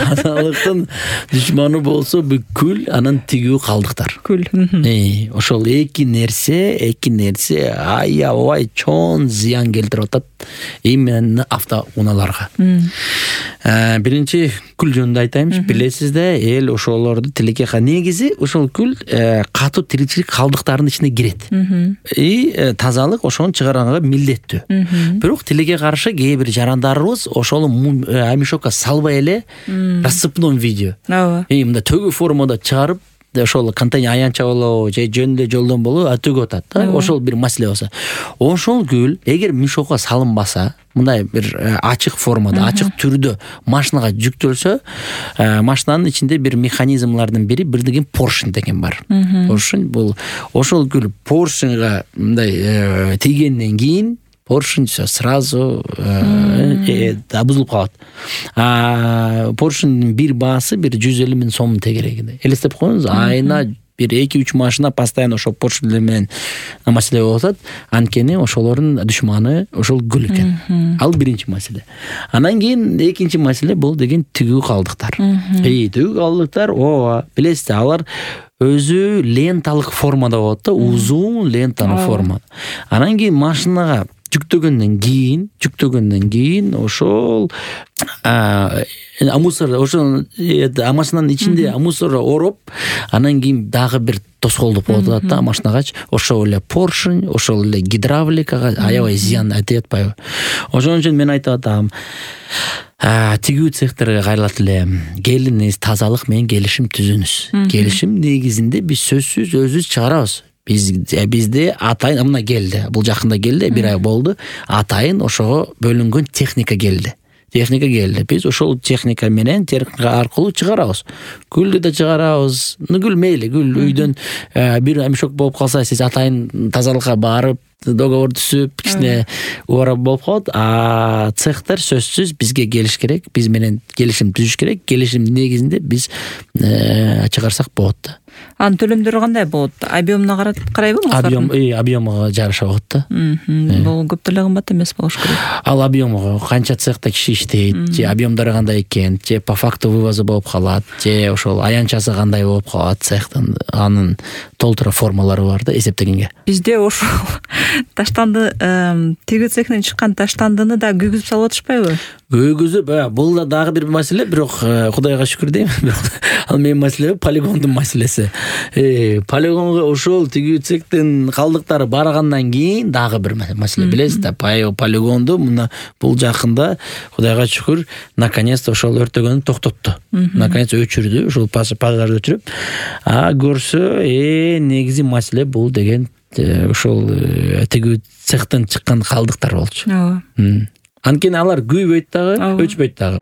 тазалыктын душманы болсо бүткүл анан тигүү калдыктар. Күл. Ошол эки нерсе аябай чоң зыян келтирип атат именно автоунааларга. Биринчи күл жөнүндө айтайынчы. Билесиз да, эл ошолорду тилекке негизи ошол күл катуу тиричилик калдыктарынын ичине кирет. И тазалык ошону чыгаранга милдеттүү. Бирок тилекке каршы кээ бир жарандарыбыз ошону мешокко салбай эле рассыпном видео. Мындай төгүү формада чыгарып, ошол контейнер аянча болобу же жөн эле жолдон болобу төгүп атат да. Ошол бир маселе болсо. Ошол күл эгер мешокко салынбаса, мындай бир ачык формада, ачык түрдө машинага жүктөлсө, машинанын ичинде бир механизмлардын бири бир деген поршень деген бар. Поршень бул ошол күл поршеньга мындай тийгенден кийин поршень сразу бузулуп калат. Поршеньдин бир баасы 150 000 сом тегерегинде. Элестеп коюңуз, айына бир 2-3 машина постоянно ошол поршеньдер менен маселе болуп атат. Анткени ошолордун душманы ошол күл экен. Ал биринчи маселе. Анан кийин экинчи маселе бул деген тигүү калдыктар. Тигүү калдыктар, билесиз, алар өзү ленталык формада болот да, узун ленталык форма. Анан кийин машинага жүктөгөндөн кийин ошол мусор, ошол машинанын ичинде мусор ороп, анан кийин дагы бир тоскоолдук болуп атат да машинагачы. Ошол эле поршень, ошол эле гидравликага аябай зыян этип атпайбы? Ошон үчүн мен айтып атам, тигүү цехтерге кайрылат эле, келиңиз тазалык менен келишим түзүңүз. Келишим негизинде биз сөзсүз өзүбүз чыгарабыз. Бизде атайын мына келди. Бул жакында келди, 1 ай болду. Атайын ошого бөлүнгөн техника келди. Биз ошол техника менен, техника аркылуу чыгарабыз. Күлдү да чыгарабыз. Күл мейли, күл үйдөн бир мешок болуп калса, сиз атайын тазалыкка барып, договор түзүп, кичине уурап болуп калат. Цехтер сөзсүз бизге келиш керек, биз менен келишим түзүш керек. Келишим негизинде биз чыгарсак болот. Анын төлөмдөрү кандай болот? Объемуна карайбы? Объемуга жараша болот да. Бул көп деле кымбат эмес болуш керек. Ал объемуга канча цехта киши иштейт, же объемдору кандай экен, же по факту вывозу болуп калат, же ошол аянчасы кандай болуп калат цехтын, анын толтура формалары бар да эсептегенге. Бизде ошол таштанды, тигүү цехинен чыккан таштандыны да күйгүзүп салып атышпайбы? Күйгүзүп, бул да дагы бир маселе, бирок Кудайга шүкүр дейм. Ал менин маселе полигондун маселеси. Полигонго ошол тигүү цехтин калдыктары баргандан кийин дагы бир маселе. Билесиз да, полигонду мына бул жакында Кудайга шүкүр наконец-то ошол өртөгөнү токтотту. Наконец өчүрдү, ошол пожарды өчүрүп. Көрсө, негизи маселе бул деген ошол тигүү цехтен чыккан калдыктар болчу. Анткени алар күйбөйт дагы, өчпөйт дагы.